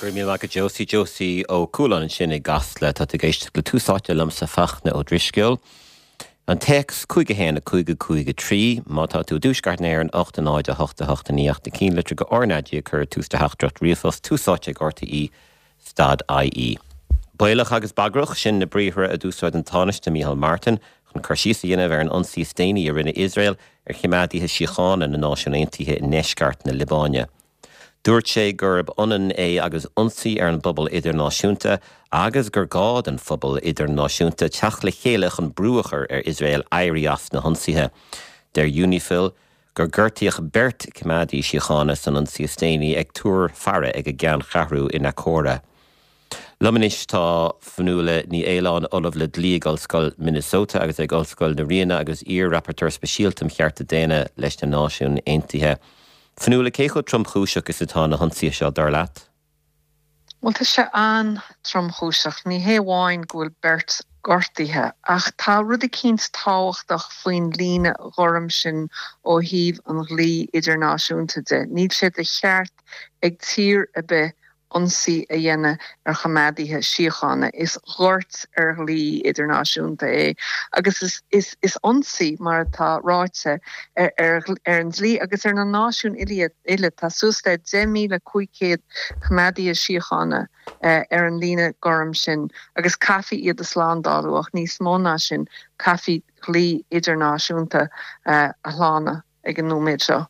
Go raibh míle maith agat Josie. Josie Ó Cualáin ansin i gCasla. Tá tú ag éisteacht le Tús Áite liomsa Fachtna Ó Drisceoil. An téacs 5 1 5 5 3. Má tá tú i dTuaisceart na hÉireann 8 0 8 8 9 ach na cinnlitreacha go RnaG ag cur tús do theachtaireacht ríomhphost Tús Áite ag RTÉ stad IE. Baolach agus bagrach, sin na briathra a d'úsáid an Tánaiste Micheál Martin chun cur síos a dhéanamh ar an ionsaí is déanaí a rinne Iosrael ar choimeádaithe síochána na Náisiún Aontaithe i ndeisceart na Liobáine. Dúirt sé gurb ionann é agus ionsaí ar an bpobal idirnáisiúnta agus gur gá don phobal idirnáisiúnta teacht le chéile chun brú a chur ar Iosrael éirí as na hionsaithe. Deir Unifil gur gortaíodh beirt choimeádaí síochána san ionsaí is déanaí ag túr faire ag a gceanncheathrú i Naqoura. Liom anois tá Fionnuala Ní Aoláin, Ollamh le Dlí ag Ollscoil Minnesota agus ag Ollscoil na Ríona agus iar-Rapporteur Speisialta um Chearta Daonna leis na Náisiúin Aontaithe. Fionnuala, cé chomh tromchúiseach is atá na hionsaithe seo, dar leat? Bhuel, tá sé an-tromchúiseach. Ní hé amháin go bhfuil beirt gortaithe, ach tá rud eicínt tábhachtach faoin líne ghorm sin ó thaobh an dhlí idirnáisiúnta de. Níl sé de cheart ag tír ar bith ionsaí a dhéanamh ar choimeádaithe síochána. Is goirt ar dhlí idirnáisiúnta é agus is is ionsaí, mar atá ráite, ar ar an dlí agus ar na náisiúin uile. Tá suas le 10,500 coimeádaithe síochána ar an líne ghorm sin agus caithfí iad a shlándáú ach níos mó ná sin, caithfí dlí idirnáisiúnta a shlánú ag an nóiméad seo.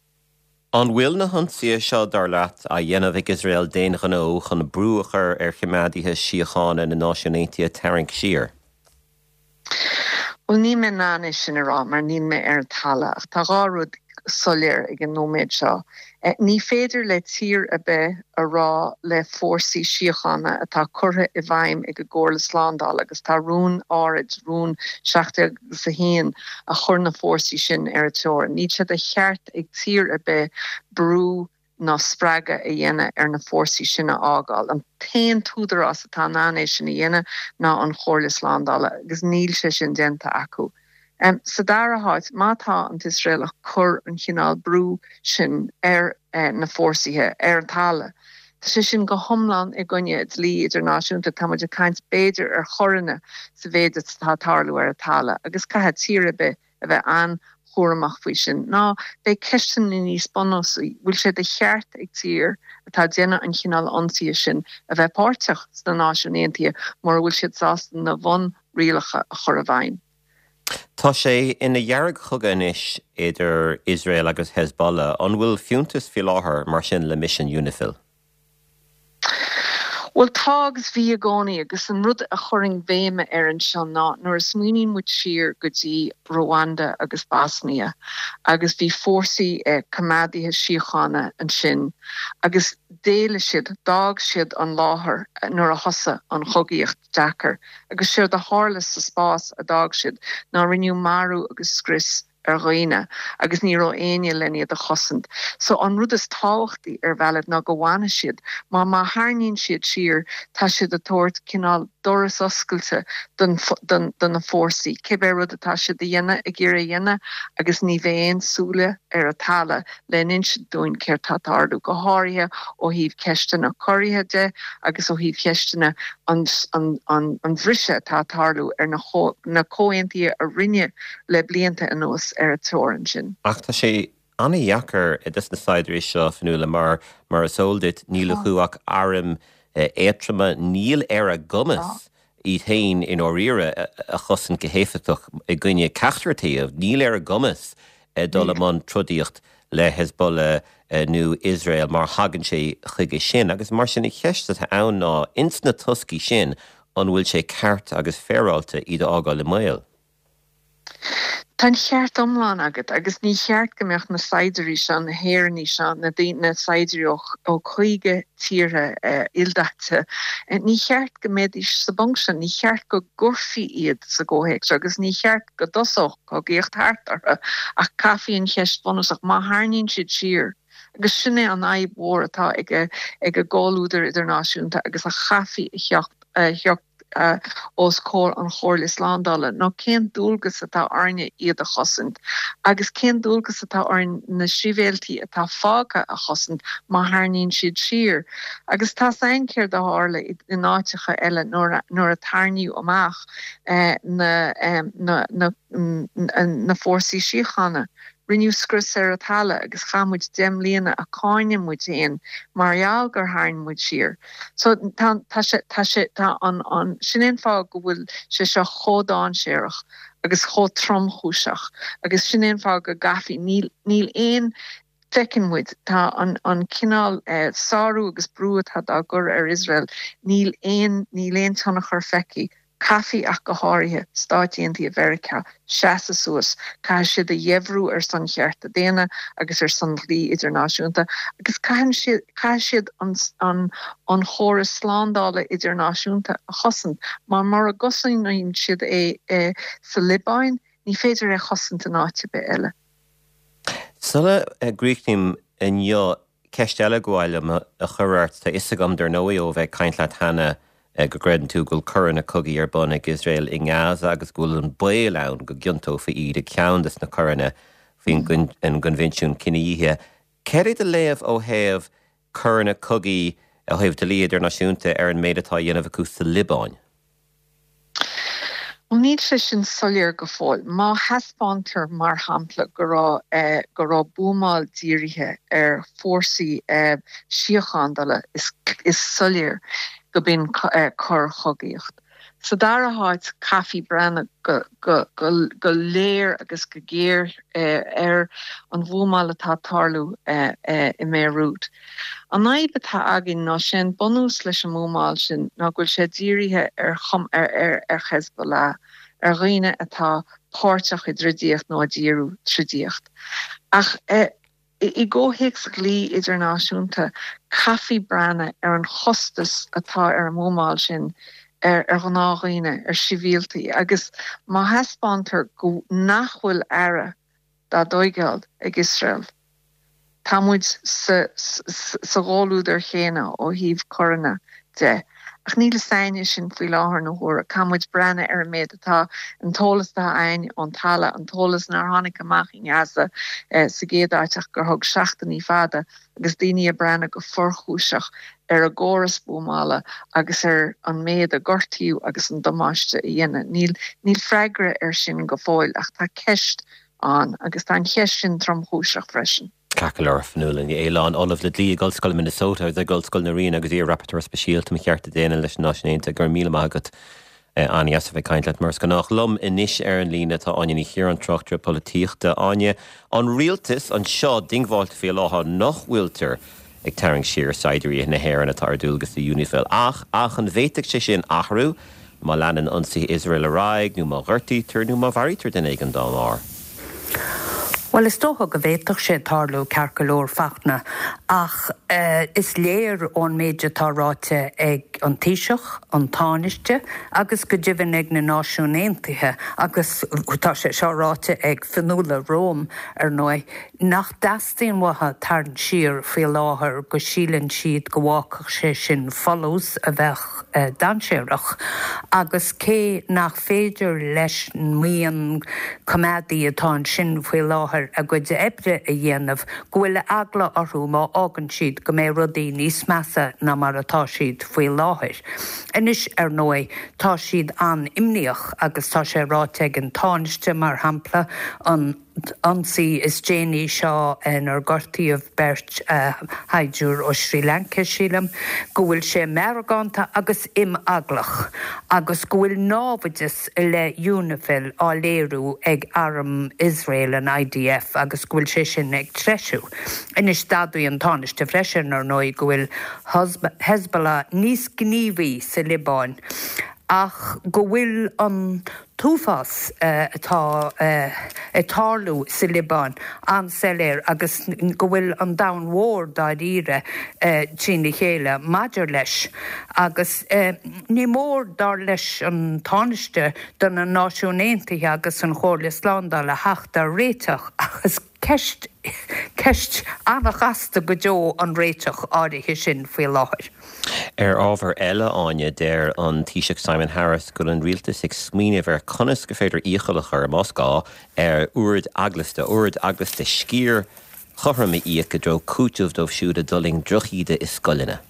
An bhfuil na hionsaithe seo, dar leat, á dhéanamh ag Iosrael d'aon ghnó chun brú a chur ar choimeádaithe síochána na Náisiún Aontaithe tarraingt siar? Bhuel, níl mé in ann é sin a rá mar níl mé ar an talamh ach tá dhá rud soiléir ag an nóiméad seo. Ní féidir le tír ar bith a rá le fórsaí síochána atá curtha i bhfeidhm ag an gComhairle Slándála agus tá rún áirid, rún 17 agus 1, a chuir na fórsaí sin ar an teorainn. Níl sé de cheart ag tír ar bith brú ná spreagadh a dhéanamh ar na fórsaí sin a fhágáil. An t-aon t-údarás atá in ann é sin a dhéanamh ná an Chomhairle Slándála agus níl sé sin déanta acu. Sa dara háit, má tá an tIosrael ag cur an chineál brú sin ar na fórsaithe ar an talamh, tá sé sin go hiomlán i gcoinne dlí idirnáisiúnta. Tá muid ag caint b'fhéidir ar choireanna sa mhéid atá ag tarlú ar an talamh agus caithfidh tír ar bith a bheith an-chúramach faoi sin. Ná beidh ceisteanna níos bunúsaí, bhfuil sé de cheart ag tír atá ag déanamh an chineál ionsaithe sin a bheith páirteach sna Náisiúin Aontaithe mura bhfuil siad sásta na bhunrialacha a chur i bhfeidhm? Tá sé ina dheargchogadh anois idir Iosrael agus Hezbollah. An bhfuil fiúntas faoi láthair mar sin le misean Unifil? Bhuel, tá agus bhí i gcónaí agus an rud a chuirfinn béim air anseo ná nuair a smaoiníonn muid siar go dtí Rwanda agus Bosnia agus bhí fórsaí coimeádaithe síochána ansin agus d'éalaigh siad, d'fhág siad an láthair nuair a thosaigh an chogaíocht deacair agus séard a tharla sa spás a d'fhág siad ná rinneadh marú agus scrios ar dhaoine agus ní raibh éinne len iad a chosaint. So an rud is tábhachtaí ar bhealach ná go bhfanfaidh siad. Má má tharraingíonn siad siar tá siad ag tabhairt cineál doras oscailte don don do na fórsaí, cibé rud atá siad a dhéanamh ag iarraidh a dhéanamh agus ní bheidh aon súile ar an talamh le n-insint dúinn céard tá ag tarlú, go háirithe ó thaobh ceisteanna coirithe de agus ó thaobh cheisteanna an an an bhriseadh atá ag tarlú ar na na comhaontuithe a rinneadh le blianta anuas ar an teorainn sin. Ach tá sé an-dheacair dos na saighdiúirí seo, Fionnuala, mar, mar is eol duit, níl acu ach airm éadtroma, níl ar a gcumas iad féin i ndáiríre a chosaint go héifeachtach i gcoinne ceachtar taobh, níl ar a gcumas dul i mbun trodaíocht le Hezbollah nó Iosrael má thagann sé chuige sin. Agus mar sin an cheist atá ann ná, ins na toscaí sin, an bhfuil sé ceart agus féaráilte iad a fhágáil i mbaol? Tá an cheart iomlán agat agus ní cheart go mbeadh na saighdiúirí seo, na hÉireannaigh seo, na daoine, na saighdiúirí ó ó 50 tíortha ildaite, ní cheart go mbeidís sa bponc seo, ní cheart go gcuirfí iad sa gcomhthéacs seo agus ní cheart go dtosódh cogaíocht thart orthu ach caithfí an cheist bhunúsach, má tharraingíonn siad siar, agus sin é an fhadhb mhór atá ag ag an gcomhluadar idirnáisiúnta agus a chaithfí a theacht, a theacht. os comhair an Chomhairle Slándála ná cén dualgas atá orainne iad a chosaint agus cén dualgas atá orainn na sibhialtaigh atá fágtha a chosaint má tharraingíonn siad siar. Agus tá's againn céard a tharla in áiteacha eile nuair a tarraingíodh amach na na fórsaí síochána. Rinneadh scrios ar an talamh agus chaith muid 10 mbliana ag cáineadh muid féin mar gheall gur tharraing muid siar. So tá, tá sé, tá sé, tá an, an, sin é an fáth go bhfuil sé seo chomh dainséarach agus chomh tromchúiseach agus sin é an fáth go gcaithfí, níl, níl aon, feiceann muid, tá an, an cineál sárú agus brú atá dá gcur ar Iosrael, níl aon, níl aon tionchar feicthe Caithfidh, ach go háirithe, Stáit Aontaithe Mheiriceá seasamh suas, caithfidh siad a dheifriú ar son chearta daonna agus ar son dhlí idirnáisiúnta, agus caithfidh siad an an chóras slándála idirnáisiúnta a chosaint, mar mura gcosnaíonn siad é sa Liobáin, ní féidir é a chosaint in áit ar bith eile. Sula gcríochnaím inniu, Ceist eile ba mhaith liom a chur ort. Tá fhios agam, dar ndóigh, ó bheith ag caint leat cheana, go gcreideann tú go bhfuil coireanna cogaidh ar bun ag Iosrael i nGaza agus go bhfuil an baol ann go gciontófaí iad i gceann des na coireanna faoin gCoinbhinsiún Cinedhíothaithe. Céard é do léamh ó thaobh coireanna cogaidh, ó thaobh dlí idirnáisiúnta, ar an méid atá á dhéanamh acu sa Liobáin? Bhuel, níl sé sin soiléir go fóill. Má thaispeántar, mar shampla, go raibh go raibh buamáil dírithe ar fórsaí síochándala, is is soiléir go b'in coir chogaíocht. Sa dara háit, caithfí breathnú go go go léir agus go géar ar an bhuamáil atá ag tarlú i mBeirut. An fhadhb atá againn ná sé an bunús leis an mbuamáil sin ná go bhfuil sé dírithe ar ar Hezbollah, ar dhaoine atá páirteach i dtroidíocht nó a d'iarradh troidíocht. Ach i gcomhthéacs dhlí idirnáisiúnta caithfí breathnú ar an chostas atá ar an mbuamáil sin ar ghnáthdhaoine, ar shibhialtaigh agus má thaispeántar go nach bhfuil aire dá dtóigeáil ag Iosrael. Tá muid sa sa gcomhluadar chéanna ó thaobh coireanna de. Ach níl fhios a'inne sin faoi láthair na huaire. Caithfidh muid breathnú ar an méid atá, an t-eolas atá a'ainn ón talamh, an t-eolas nár tháinig amach i nGaza sa gcéad áit ach gur thóg seachtainí fada agus daoine ag breathnú go fuarchúiseach ar an gcóras buamála agus ar an méid a gortaíodh agus an damáiste a dhéanadh. Níl níl freagra air sin go fóill ach tá ceist ann agus tá an cheist sin tromchúiseach freisin. Ceart go leor, Fionnuala Ní Aoláin, Ollamh le Dlí ag Ollscoil Minnesota agus ag Ollscoil na Ríona agus iar-Rapporteur Speisialta um Chearta Daonna leis na Náisiúin Aontaithe. Go raibh míle maith agat. An-dheas a bheith ag caint leat mar is gnách. Liom anois ar an líne tá Áine Ní Chiaráin, tráchtaire polaitíochta. Áine, an rialtas anseo diongbháilte faoi láthair nach bhfuiltear ag tarraingt siar saighdiúirí na hÉireann atá ar dualgas le UNIFIL. Ach, ach an bhféadfadh sé sin athrú má leanann ionsaithe Iosrael ar aghaidh, nó má ghortaítear nó má mharaítear duine éigin dá mbarr? Bhuel, is dócha go bhféadfadh sé tarlú, ceart go leor, Fachtna, ach is léir ón méid atá ráite ag an Taoiseach, an Tánaiste agus go deimhin ag na Náisiúin Aontaithe, agus tá sé seo ráite ag Fionnuala romham, ar ndóigh, nach dteastaíonn uathu tarraingt siar faoi láthair, go síleann siad go bhfágfadh sé sin folús a bheadh dainséarach, agus cé nach féidir leis an mbuíon coimeádaí atá ansin faoi láthair a gcuid oibre a dhéanamh, go bhfuil eagla orthu má fhágann siad go mbeidh rudaí níos measa ná mar atá siad faoi láthair. Anois, ar ndóigh, tá siad an-imníoch agus tá sé ráite ag an Tánaiste, mar shampla, an. t-ionsaí is déanaí seo inar gortaíodh beirt shaighdiúir ó Srí Lanca, sílim, go bhfuil sé meargánta agus imeaglach agus go bhfuil námhaideas i leith Unifil á léiriú ag arm Iosrael, an IDF, agus go bhfuil sé sin ag treisiú. Anois, d'admhaigh an Tánaiste freisin, ar ndóigh, go bhfuil Hezbollah níos gníomhaí sa Liobáin ach go bhfuil an t-uafás atá ag tarlú sa Liobáin an-soiléir agus go bhfuil an domhan mhór dáiríre trína chéile maidir leis. Agus ní mór, dar leis an Tánaiste, do na Náisiúin Aontaithe agus an Chomhairle Slándála theacht ar réiteach ach is ceist. Ceist an-chasta go deo an réiteach áirithe sin faoi láthair. Ar ábhar eile, Áine, deir an Taoiseach Simon Harris go bhfuil an rialtas ag smaoineamh ar conas gur féidir iachall a chur, más gá, ar oird eaglasta, oird eaglasta sciar chothrom a íoc i dtreo cúiteamh dóibh siúd a d'fhulaing drochíde i scoileanna.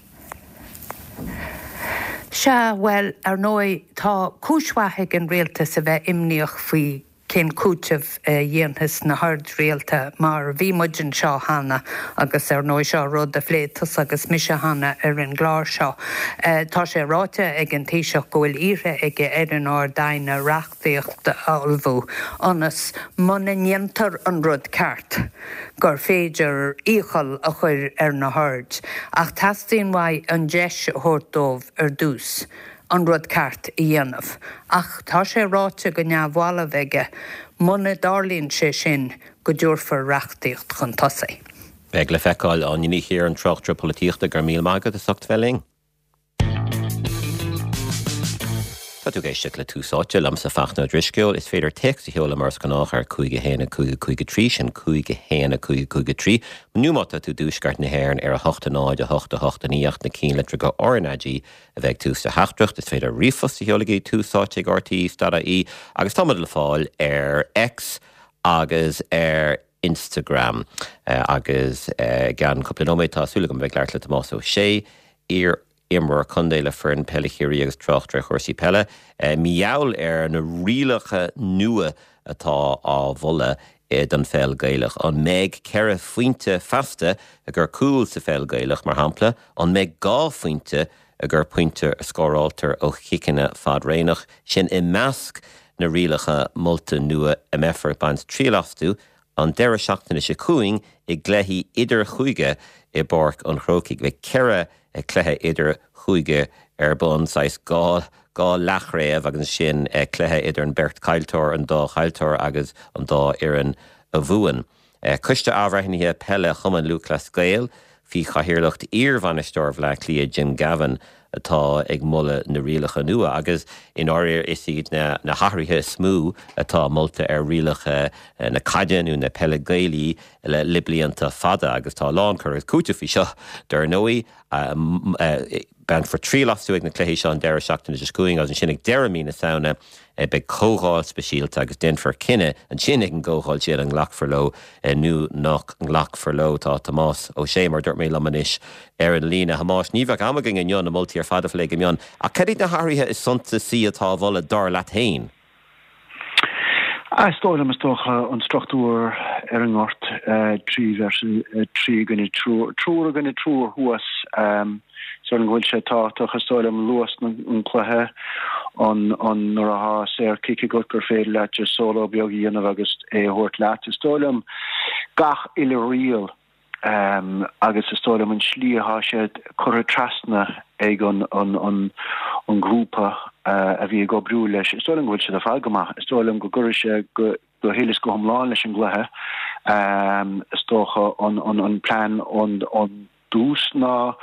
Sea, bhuel, ar ndóigh, tá cúis mhaith ag an rialtas a bheith imníoch faoi cén cúiteamh a dhéanfas na hoird rialta mar bhí muid anseo cheana agus ar ndóigh seo rud a phléigh tusa agus mise cheana ar an gclár seo. Tá sé ráite ag an Taoiseach go bhfuil iarrtha aige ar an Ard-Aighne reachtaíocht a ullmhú ionas muna ndéantar an rud ceart gur féidir iachall a chur ar na hoird ach teastaíonn uaidh an deis a thabhairt dóibh ar dtús. an rud ceart a dhéanamh. Ach tá sé ráite go neamhbhalbh aige, muna dtarlaíonn sé sin, go dtabharfar reachtaíocht chun tosaigh. Beidh le feiceáil. Áine Ní Chiaráin, tráchtaire polaitíochta, go raibh míle maith agat as ucht bheith linn. Tá tú ag éisteacht le Tús Áite, liomsa Fachtna Ó Drisceoil. Is féidir téacs a sheoladh mar is gnách ar 5 1 5 5 3, sin 5 1 5 5 3, nó má tá tú i dtuaisceart na hÉireann ar 8 0 8 8 9 ach na cinnlitreacha RnaG a bheith ag tús do theachtaireacht. Is féidir ríomhphost a sheoladh ag túsáite ag rte.ie agus táimid le fáil ar X agus ar Instagram. Agus i gceann cúpla nóiméad tá súil agam a bheith ag labhairt le Tomás Ó Sé, iar-imreoir contae le foireann peile Chiarraí agus tráchtaire ar chúrsaí peile, mar gheall ar na rialacha nua atá á mholadh don pheil Gaelach. An mbeidh 4 phointe feasta i gcomhair cúl sa pheil Gaelach, mar shampla? An mbeidh 2 phointe i gcomhair pointe a scóráiltear ó chiceanna fadraonach? Sin i measc na rialacha molta nua a mbeifear ag baint triail astu an deireadh seachtaine seo chugainn i gcluichí idirchúige i bPáirc an Chrócaigh. Beidh 4 cluiche idirchúige ar bun, saghas 2 leathchraobh agus ansin cluiche idir an beirt chaillteoir, an dá chaillteoir agus an dá fhoireann a bhuann. Coiste Athbhreithnithe Peile Chumann Lúthchleas Gael, faoi chathaoirleacht iar-bhainisteoir Bhaile Átha Cliath Jim Gavin, atá ag moladh na rialacha nua agus i ndáiríre is iad na hathruithe is mó atá molta ar rialacha na caide nó na peile Gaelaí le blianta fada agus tá a lán cur agus cúiteamh faoi seo dar ndóigh. Bainfear triail astu ag na cluichí seo an deireadh seachtaine seo chugainn agus ansin ag deireadh mí na Samhna beidh comhdháil speisialta agus déanfar cinneadh ansin ag an gcomhdháil sin an nglacfar leo nó nach nglacfar leo. Tá Tomás Ó Sé, mar a dúirt mé, liom anois ar an líne. A Thomáis, ní bheadh am againn inniu na moltaí ar fad a phlé go mion, ach cad iad na hathruithe is suntasaí atá á mholadh, dar leat féin? Is dóigh liom, is dócha, an struchtúr ar an ngort, 3 versus 3 i gcoinne triúr, triúr i gcoinne triúr thuas, is dóigh liom go bhfuil sé tábhachtach, is dóigh liom luas an chluiche, an, an, nuair atá saor-chic agat gur féidir leat just solo beag a dhéanamh agus é a thabhairt leat. Is dóigh liom gach uile riail agus is dóigh liom an slí atá sé curtha trasna ag an an grúpa a bhí ag oibriú leis, is dóigh liom go bhfuil siad ar fad go maith. Is dóigh liom go gcuirfidh sé go go huile is go hiomlán leis an gcluiche. Is dócha an an plean ón dtús ná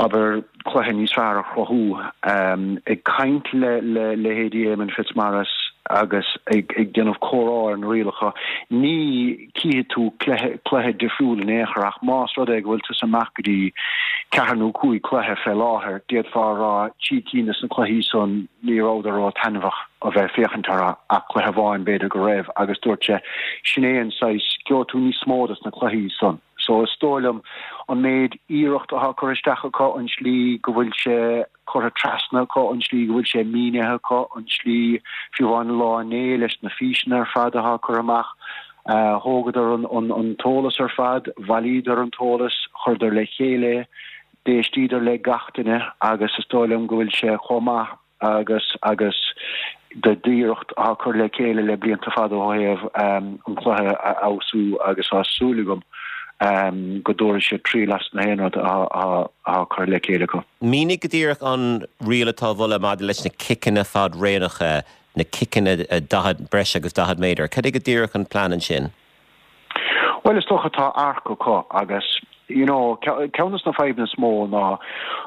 abair cluiche níos fearr a chruthú. Ag caint le leithéidí Éamonn Fitzmaurice agus ag déanamh comhrá ar na rialacha, ní chífidh tú cluiche difriúil in aon chor ach más rud é go bhfuil tusa amach go dtí ceathair nó cúig cluiche fé láthair, d'fhéadfá a rá trí cinn de na cluichí san ní rabhadar ró-taitneamhach a bheith ag féachaint orthu ach cluiche amháin b'fhéidir go raibh agus dúirt sé sin é an saghas, gheobhaidh tú níos mó des na cluichí san. So is dóigh liom an méid iarracht atá curtha isteach acu, an slí go bhfuil sé curtha trasna acu, an slí go bhfuil sé mínithe acu, an slí, fiú amháin an lá inné leis na físeanna ar fad atá curtha amach, thógadar an t-eolas ar fad, bhailíodar an t-eolas, chuireadar le chéile é, d'éistíodar le gach duine agus is dóigh liom go bhfuil sé chomh maith agus agus d'iarracht atá curtha le chéile le blianta fada ó thaobh an cluiche a fheabhsú agus tá súil agam go dtabharfaidh siad triail as na haon rud atá curtha le chéile acu. Mínigh go díreach an riail atá á mholadh maidir leis na ciceanna fad-raonacha, na ciceanna 40, breis agus 40 méadar. Cad é go díreach an plean ansin? Bhuel, is dócha tá arc acu agus, you know, ceann de na fadhbanna is mó ná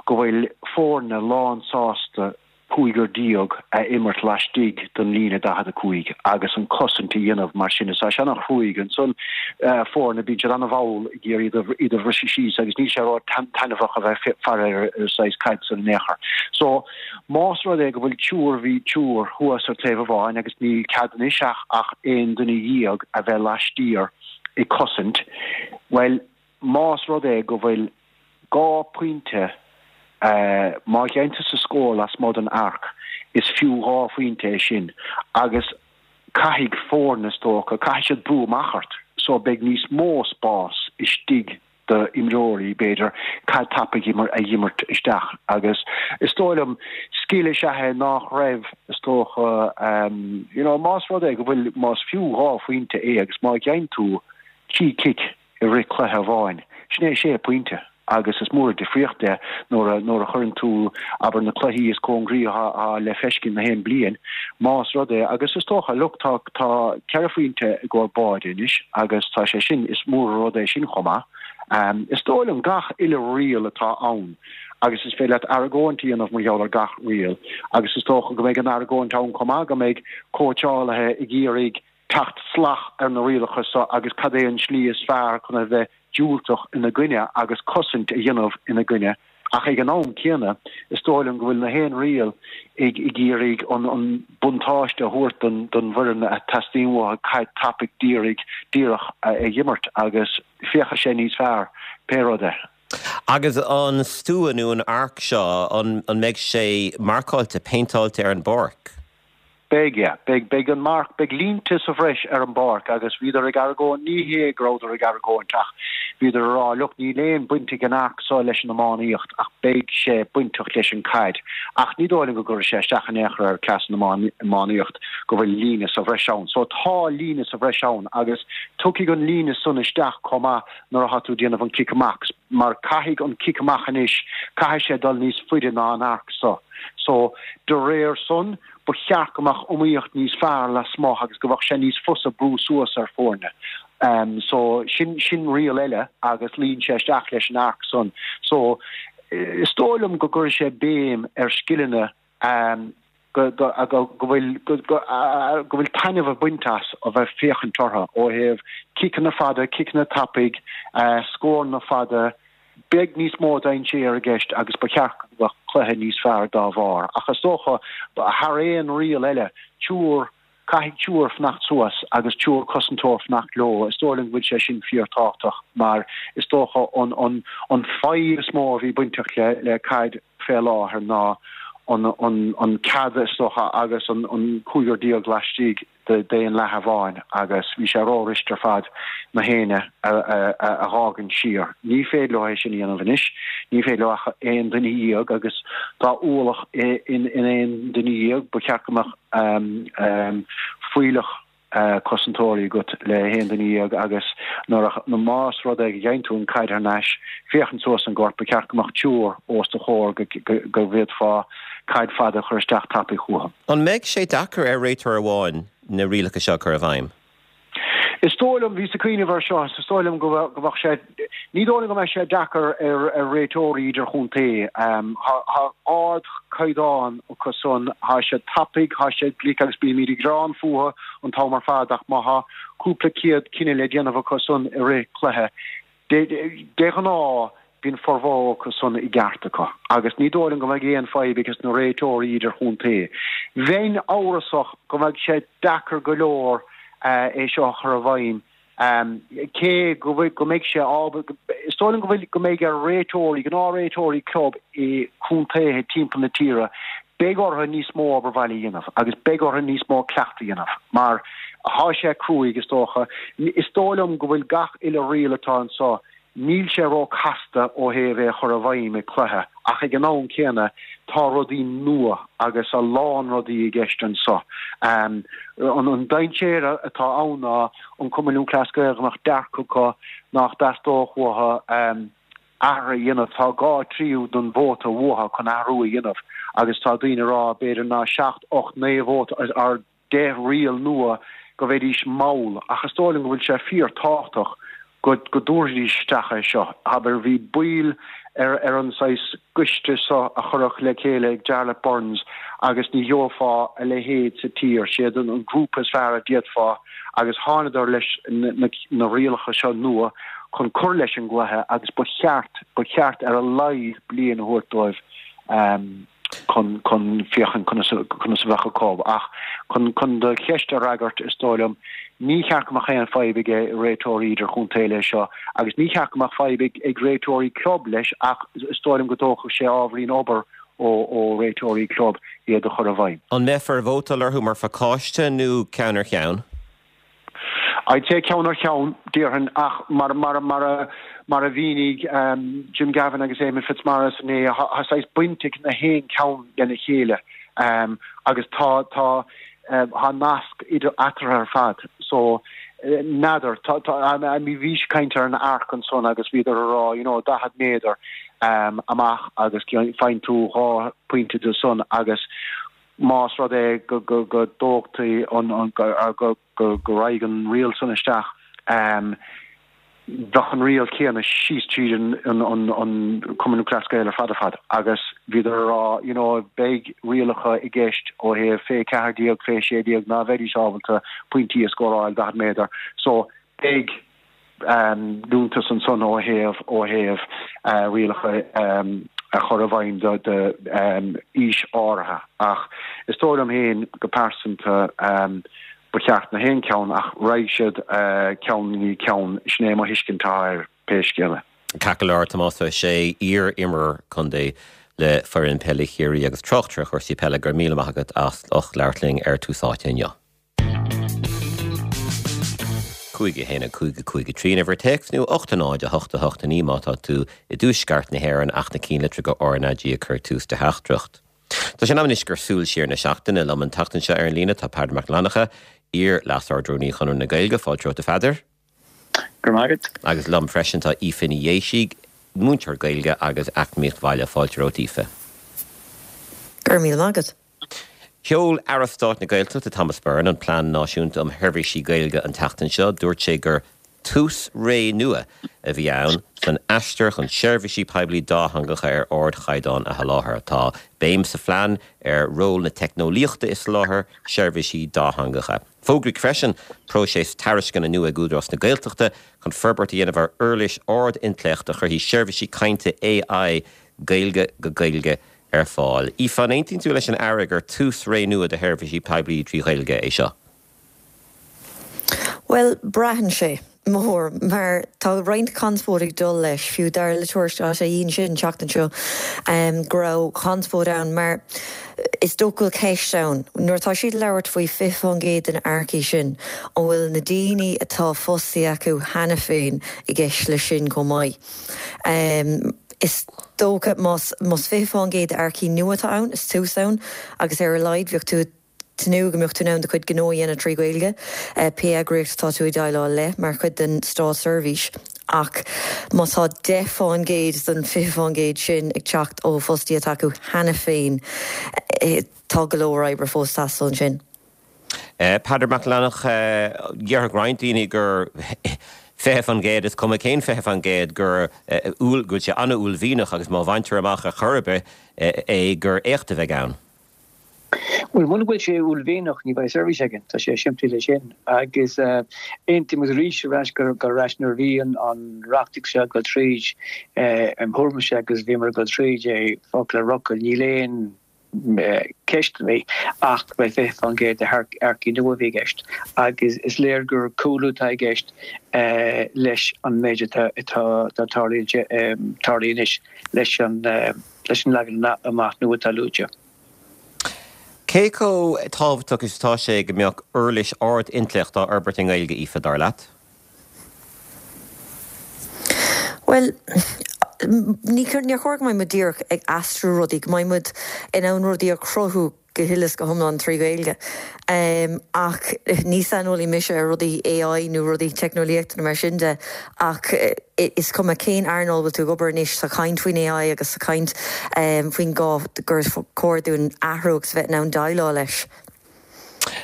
go bhfuil foirne lán sásta. 15 a imirt laistigh den líne 45 agus an cosaint a dhéanamh mar sin. Is tá sé an-chruaidh ansan. Foirne, bíonn siad an-mhall ag iarraidh iad a bhriseadh síos agus níl sé ró-taitneamhach a bheith ag faire ar an saghas caid san in aon chor. So, más rud é go bhfuil triúr, bhí triúr thuas ar taobh amháin agus níl cead anois ach ach aon duine dhéag a bheith laistiar ag cosaint, bhuel, más rud é go bhfuil 2 phointe, má gheibheann tusa scór lasmuigh den arc, is fiú 2 phointe é sin agus caithfidh foirne, is dócha, caithfidh siad brú amach ort so beidh níos mó spás istigh do imreoirí, b'fhéidir, caid tapaidh a dh'imirt isteach agus is dóigh liom, scil is ea é nách raibh, is dócha, you know, más rud é go bhfuil, más fiú 2 phointe é agus má gheibheann tú 3 cic, i rith cluiche amháin. Sin é sé pointe agus is mór an difríocht é nuair a nuair a chuireann tú, abair, na cluichí is cóngraí atá le feiscint na haon bliain, más rud é, agus is dócha, look, tá tá ceithre phointe i gcomhair báide anois agus tá sé sin, is mór an rud é sin chomh maith. Is dóigh liom gach uile riail atá ann agus is féidir leat argóint a dhéanamh mar gheall ar gach riail agus is dócha go mbeidh an argóint ann chomh maith go mbeidh cóitseálaithe ag iarraidh teacht salach ar na rialacha so agus cad é an slí is fearr chun a bheith diúltach ina gcoinne agus cosaint a dhéanamh ina gcoinne ach ag an am céanna is dóigh liom go bhfuil na haon riail ag ag iarraidh an an buntáiste a thabhairt don don bhfoireann a teastaíonn uathu caid tapaidh dírigh díreach a dh'imirt agus féachfaidh sé níos fearr pé rud é. Agus an stua nó an arc seo an an mbeidh sé marcáilte, péinteáilte ar an bpáirc? Beidh, yeah. Beidh, beidh an marc, beidh línte sa bhreis ar an bpáirc agus bhíodar ag argóint, ní hé go rabhadar ag argóint ach bhíodar ag rá, look, níl aon baint ag an arc so leis an iománaíocht ach beidh sé bainteach leis an caid. Ach ní dóigh liom go gcuirfidh sé isteach in aon chor ar cleas an iománaíocht go bhfuil líne sa bhreis ann. So tá líne sa bhreis ann agus tiocfaidh an líne san isteach chomh maith nuair atá tú ag déanamh an cic amach mar caithfidh an cic amach anois, caithfidh sé dul níos faide ná an arc so. So, de réir san, ba cheart go mbeadh iomaíocht níos fearr lasmuigh agus go mbeadh sé níos fusa brú suas ar foirne. So, sin, sin riail eile agus luíonn sé isteach leis an arc san. So, is dóigh liom go gcuirfidh sé béim ar scileanna go, go, go, go bhfuil, go, go, go bhfuil taitneamh ag baint as a bheith féachaint orthu ó thaobh ciceanna fada, ciceanna tapaidh, scóranna fada, Beidh níos mó dainséar i gceist agus ba cheart go mbeadh cluiche níos fearr dá bharr. Ach is dócha, thar aon riail eile, triúr, caithfidh triúr fanacht suas agus triúr cosantóir fanacht leo. Is dóigh liom go bhfuil sé sin fíorthábhachtach mar is dócha an an an fadhb is mó a bhí bainteach le le caid fé láthair ná an an an cead is dócha agus an an 15 laistigh d'aon leath amháin agus bhí sé ró-rist ar fad na héinne a dh'fhágaint siar. Ní féidir leo é sin a dhéanamh anois. Ní féidir leo ach aon duine dhéag agus tá ualach in aon duine dhéag. Ba cheart go mbeadh fuílleach cosantóirí agat le haon duine dhéag agus nuair a, más rud é go gheibheann tú an caid thar n-ais, féachaint suas an gort, ba cheart go mbeadh triúr os do chomhair go bhféadfá caid fada a chur isteach tapaidh chucu. An mbeidh sé deacair ar réiteoir amháin na rialacha seo a chur i bhfeidhm? Is dóigh liom, bhíos ag cuimhneamh air seo, is dóigh liom go mbeadh sé, ní dóigh liom go mbeidh sé deacair ar réiteoirí idirchontae. Tá ardchaighdeán acu san, tá siad tapaidh, tá siad glic agus bímid ag gearán fúthu an t-am ar fad ach má tá cúpla céad cinneadh le déanamh acu san i rith cluiche, De ghnáth, bíonn formhór acu san i gceart acu, agus ní dóigh liom go mbeidh aon fadhb ages na réiteoirí idirchontae. Bheinn amhrasach go mbeidh sé deacair go leor é seo a chur i bhfeidhm, cé go bhfuil, go mbeidh sé ábalta, is dóigh liom go bhfuil, go mbeidh ar réiteoirí, gnáthréiteoirí club i contaetha timpeall na tíre, Beidh orthu níos mó obair bhaile a dhéanamh agus beidh orthu níos mó cleachtadh a dhéanamh mar thá sé cruaidh, is dócha. Is dóigh liom go bhfuil gach uile riail atá anso, níl sé ró casta ó thaobh é a chur i bhfeidhm i cluiche ach ag an am céanna tá rudaí nua agus a lán rudaí i gceist anso. An dainséar atá ann ná an Cumann Lúthchleas Gael go mbeadh dearcadh acu nach dteastódh uathu athrú a dhéanamh. Tá 2 tríú den vóta uathu chun athrú a dhéanamh agus tá daoine ag rá b'fhéidir ná 7, 8, 9 vóta ar 10 riail nua go mbeidís mall ach is dóigh liom go bhfuil sé fíor tábhachtach go go dtabharfaidís isteach é seo. Abair bhí baill. ar ar an saghas coiste seo a cuireadh le chéile ag Jarlath Burns agus ní gheofá a leithéid sa tír. Siad an grúpa is fearr a d'fhéadfá agus thánadar leis na rialacha seo nua chun cur leis an gcluiche agus ba cheart, ba cheart ar a laghad bliain a thabhairt dóibh chun, chun féachaint conas, conas a bheadh acu. Ach chun, chun do cheist a fhreagairt, is dóigh liom, ní cheart go mbeadh aon fadhb ag réiteoirí idirchontae leis seo agus ní cheart go mbeadh fadhb ag, ag réiteoirí club leis ach is dóigh liom go dtógfadh sé ábhairín obair ó, ó réiteoirí club iad a chur i bhfeidhm. An mbeifear ag vótáil orthu mar phacáiste nó ceann ar cheann? I'd say ceann ar cheann, déarfainn, ach mar, mar, mar a, mar a mhínigh Jim Gavin agus Eamon Fitzmaurice inné, tá saghas baint ag na haon ceann lena chéile agus tá, tá, tá nasc idir eatarthu ar fad. So, n'fheadar, tá, tá, I mean, bhí siad ag caint ar an arc ansan agus bhíodar a rá, you know, 40 méadar amach agus faigheann tú 2 pointe de san agus más rud é go dtógtaí an, go raghaidh an riail san isteach, bheadh an riail chéanna síos tríd an Cumann Lúthchleas Gael ar fad ar fad agus bhíodar a rá you know beidh rialacha i gceist ó thaobh fé 14, fé 16 ná bheidís ábalta pointí a scóráil 40 méadar so beidh liúntas ansan ó thaobh ó thaobh rialacha a chur i bhfeidhm do d'aois áirithe. Ach is dóigh liom féin go pearsanta ba cheart na haon ceann ach raghaidh siad ceann i ndiaidh ceann. Sin é mo thuiscint atá air pé scéal é. Ceart go leor, Tomás Ó Sé, iar-imreoir contae le foireann peile Chiarraí agus tráchtaire chúrsaí peile, go raibh míle maith agat as ucht labhairt linn ar Tús Áite inniu. 5 1 5 5 3 an uimhir téacs nó 8 0 8 8 9 má tá tú i dtuaisceart na hÉireann ach na cinnlitreacha RnaG ag cur tús do theachtaireacht. Tá sé in am anois gur súil siar na seachtaine. Liom an tseachtain seo ar an líne tá Peadar Mac Fhlannchadha, iar-Leas-Ard-Rúnaí Chonradh na Gaeilge. Fáilte romhat a Pheadair. Go raibh maith agat. Agus liom freisin tá Aoife Ní Dhéisigh, múinteoir Gaeilge agus Eacnamaíocht Bhaile. Fáilte romhat Aoife. Go raibh míle maith agat. Sheol Aire Stáit na Gaeltachta Thomas Byrne an Plean Náisiúnta um Sheirbhísí Gaeilge an tseachtain seo. Dúirt sé gur tús ré nua a bhí ann san aistear chun seirbhísí poiblí dátheangacha ar ardchaighdeán a sholáthar. Tá béim sa phlean ar ról na teicneolaíochta i soláthar seirbhísí dátheangacha. Fógraíodh freisin próiseas tairisceana nua ag Údarás na Gaeltachta chun forbairt a dhéanamh ar uirlis ard-intleacht a chuirfidh seirbhísí cainte AI Gaeilge go Gaeilge ar fáil. Aoife, an aontaíonn tú leis an Aire gur tús ré nua do sheirbhísí poiblí trí Ghaeilge é seo? Bhuel, braitheann sé, mo thuairim, mar tá roinnt conspóid ag dul leis, fiú dar le Tuairisc.ie ansin an tseachtain seo, go raibh conspóid ann mar is dócha go bhfuil ceist ann, nuair atá siad ag labhairt faoi 20% de na earcaigh sin, an bhfuil na daoine atá fostaithe acu cheana féin i gceist leis sin chomh maith? Is dócha, más 20% d'earcaigh nua atá ann, is tús ann, agus ar a laghad bheadh tú ag tnúth go mbeadh tú in ann do chuid gnó a dhéanamh trí Ghaeilge, pé eagraíocht atá tú ag déileáil le, mar chuid den státseirbhís. Ach má tá 10% den 20% sin ag teacht ó fostaithe atá acu cheana féin, tá go leor oibre fós ag teastáil ansin. Peadar Mac Fhlannchadha, Déarfadh roinnt daoine gur 20%, is cuma cén 20%, gur go bhfuil sé an-uaillmhianach agus má bhaintear amach ar chor ar bith é gur éacht a bheidh ann. Bhuel, muna bhfuil sé uaillmhianach ní bheidh seirbhís againn, tá sé simplí leis sin. Agus aontaím arís ar ais gur ar ais nuair a bhí an reachtaíocht seo ag dul tríd, im thuairimse agus bhíomar ag dul tríd é focal ar fhocal, níl aon ceist a bhí ach ba é 20% de earcaigh nua a bhí i gceist agus is léir gur cúlú atá i gceist leis an méid atá tarlaithe anois leis an leagan amach nua atá luaite. Cé chomh tábhachtach is atá sé go mbeadh uirlis ard-intleacht á fhorbairt i nGaeilge, Aoife, dar leat? Bhuel, ní níor chóir go mbeidh muid díreach ag aistriú rudaí, go mbeidh muid in ann rudaí a chruthú go huile is go hiomlán trí Ghaeilge. Ach ní saineolaí mise ar rudaí AI nó rudaí teicneolaíochta nó mar sin de, ach is cuma cén earnáil bhfuil tú ag obair anois, tá caint faoin AI agus tá caint faoin gá gur chóir dúinn athrú agus a bheith in ann déileáil leis.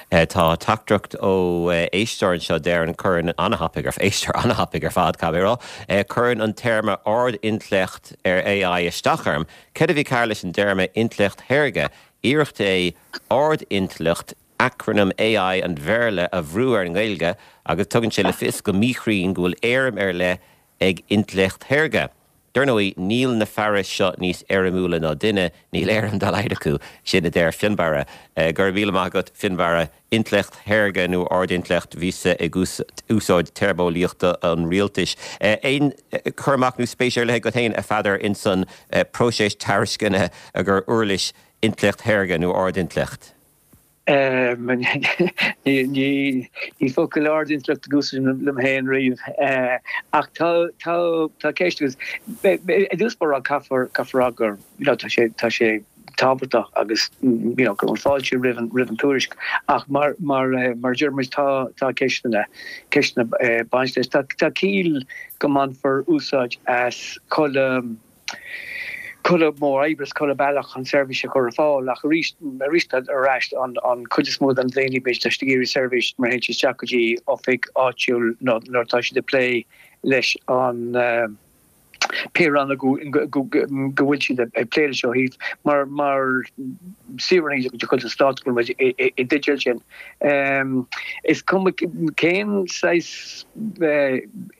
Tá teachtaireacht ó éisteoir anseo, deireann, cuireann an-thapaidh ar, éisteoir an-thapaidh ar fad, caithfidh mé a rá, cuireann an téarma ard-intleacht ar AI isteach orm. Céard a bhí cearr leis an dtéarma intleacht shaorga? Iarracht é ard-intleacht, acrainm AI an Bhéarla, a bhrú ar an nGaeilge agus tugann sé le fios go míchruinn go bhfuil éirim ar leith ag intleacht shaorga. Dar ndóigh, níl na fearais seo níos éirimiúla ná duine, níl éirim dá laghad acu, sin a deir Fionnbarra. Go raibh míle maith agat, Fionnbarra. Intleacht shaorga nó ard-intleacht, bhíos-sa ag úsáid téarmeolaíochta an rialtais. Aon chur amach nó spéis ar leith agat féin, a Pheadair, ins an próiseas tairisceana gur uirlis intleacht shaorga nó ard-intleacht? Ní focal ard-intleacht ag úsáid liom féin riamh ach tá tá ceist agus i dtús báire caithfear caithfear rá gur you know tá sé tá sé tábhachtach agus you know go bhfuil fáilte roimh an roimh an tuairisc ach mar mar mar a deir muid tá tá ceisteanna ceisteanna baint leis. Tá tá ciall go mbainfear úsáid as chuile chuile mhodh oibre is chuile bealach chun seirbhís a chur ar fáil ach arís arís ar ais an chuid is mó den daoine b'fhéidir tá siad ag iarraidh seirbhís mar théann siad isteach go dtí oifig áitiúil nó nuair atá siad ag plé leis an pé rannóg go bhfuil siad ag plé leis ó thaobh mar mar saoránaigh de chuid an stáit go bhfuil muid i dteideal sin. Is cuma cén saghas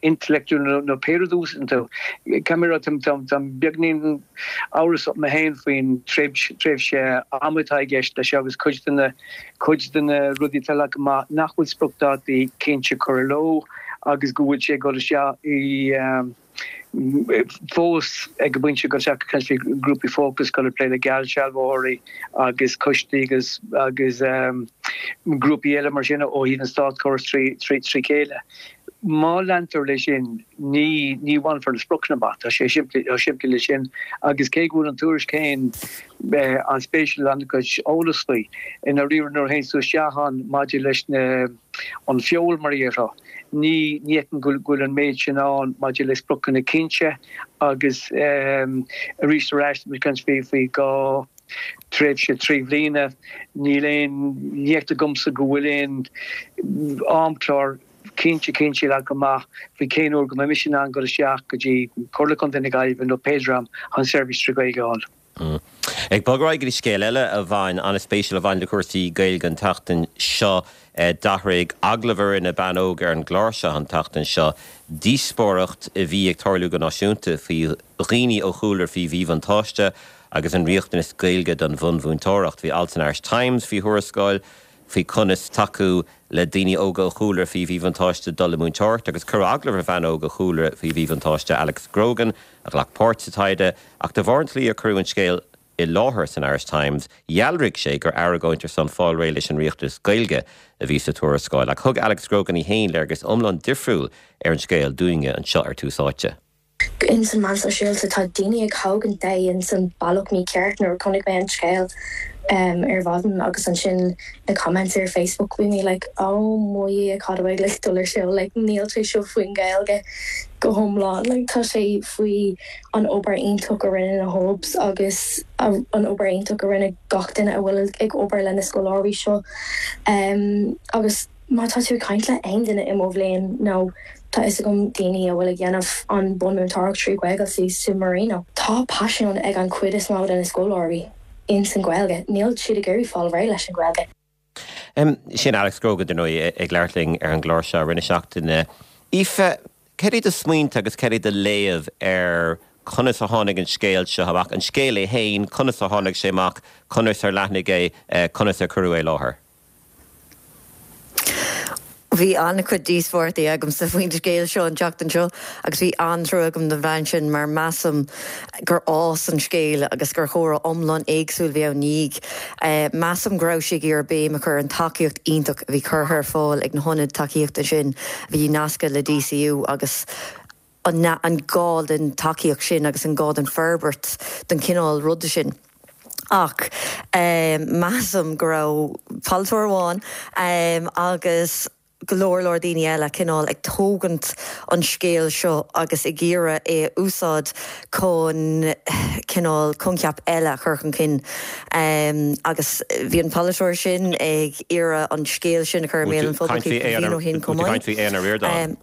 intleacht nó pé rud a úsáideann tú, caithfidh mé a rá, táim beagnín amhrasach mé féin faoin tréimhse ama atá i gceist leis seo agus cuid de na cuid de na rudaí atá leagtha amach nach bhfuil spriocdhátaí cinnte curtha leo agus go bhfuil sé ag dul isteach i fós ag an bpointe go ag caint faoi grúpaí fócais, dul ag plé le geallsealbhóirí agus coistí agus agus grúpaí eile mar sin ó thaobh an státchórais trí chéile. Má leantar leis sin, ní ní bhainfear na spriocanna amach. Tá sé simplí chomh simplí leis sin agus cé go bhfuil an tuairisc féin an-spéisiúil an-chuid eolas faoi, i ndáiríre nuair a théann tú isteach ann maidir leis na an feoil mar a déarfá. Ní fheicim go bhfuil an méid sin ann maidir le spriocanna cinnte agus arís ar ais, muid ag caint faoi gá tréimhse 3 bhliana, níl aon, ní fheictear dhomsa go bhfuil aon amchlár cinnte cinnte leagtha amach faoi cén uair go mbeidh mise in ann dul isteach go dtí Comhairle Contae na Gaillimhe nó pé dream chun seirbhís trí Ghaeilge a fháil. Ag bogadh ar aghaidh go dtí scéal eile a bhain, an-spéisiúil, a bhain le cúrsaí Gaeilge an tseachtain seo. D'athraigh agallamh a rinne bean óg ar an gclár seo an tseachtain seo díospóireacht a bhí ag tarlú go náisiúnta faoi dhaoine ó chúlra faoi mhíbhuntáiste agus an riachtanas Gaeilge don bhunmhúinteoireacht. Bhí alt san Irish Times faoi thuarascáil faoi conas tacú le daoine óga ó chúlra faoi mhíbhuntáiste dul i múinteoireacht agus cuireadh agallamh ar bhean óg ó chúlra faoi mhíbhuntáiste, Alex Grogan, a ghlac páirt sa taighde, ach de bharr an tslí ar cuireadh an scéal i láthair san Irish Times, dhealraigh sé gur argóint ar son fáil réidh leis an riachtanas Gaeilge a bhí sa tuarascáil. Ach thug Alex Grogan í féin léargas iomlán difriúil ar an scéal dúinne anseo ar Tús Áite. Ins an meán sóisialta tá daoine ag thógaint é ins an bealach mícheart nuair a chonaic mé an scéal ar mhaidin agus ansin na comments ar Facebook bhí mé like oh mo Dhia cad a bheidh like dul ar siúl like níl sé seo faoin Ghaeilge go hiomlán like tá sé faoi an obair iontach a rinne na hubs agus an obair iontach a rinne gach duine a bhfuil ag obair le na scoláirí seo agus má tá tú ag caint le aon duine i mo bhliain nó tá fhios agam daoine a bhfuil ag dhéanamh an bunmúinteoireacht trí Ghaeilge sa Marino tá paisean ag an chuid is mó de na scoláirí ins an Ghaeilge níl siad ag iarraidh fáil réidh leis an Ghaeilge. Sin Alex Grogan, dar ndóigh, ag labhairt linn ar an gclár seo i rith na seachtaine. Aoife, céard é do smaointe agus céard é do léamh ar conas a tháinig an scéal seo amach, an scéal é féin, conas a tháinig sé amach, conas ar leathnaigh é, conas ar cuireadh é i láthair? Bhí an-chuid díospóireachtaí agamsa faoin scéal seo an tseachtain seo agus bhí an-trua agam don bhean sin mar measaim gur fhás an scéal agus gur chomhrá iomlán éagsúil a bhí ann ina dhiaidh. Measaim go raibh sí ag iarraidh béim a chur ar an tacaíocht iontach a bhí curtha ar fáil ag na hionaid tacaíochta sin a bhí nasctha le DCU agus an gá don tacaíocht sin agus an gá don forbairt don chineál ruda sin. Ach measaim go raibh polaiteoir amháin agus go leor leor daoine eile cineál ag tógaint an scéil seo agus ag iarraidh é a úsáid chun. cineál coincheap eile a chur chun cinn agus bhí an polaiteoir sin ag iarraidh an scéal sin a chur i mbéal an phobail cúpla bliain ó shin chomh maith.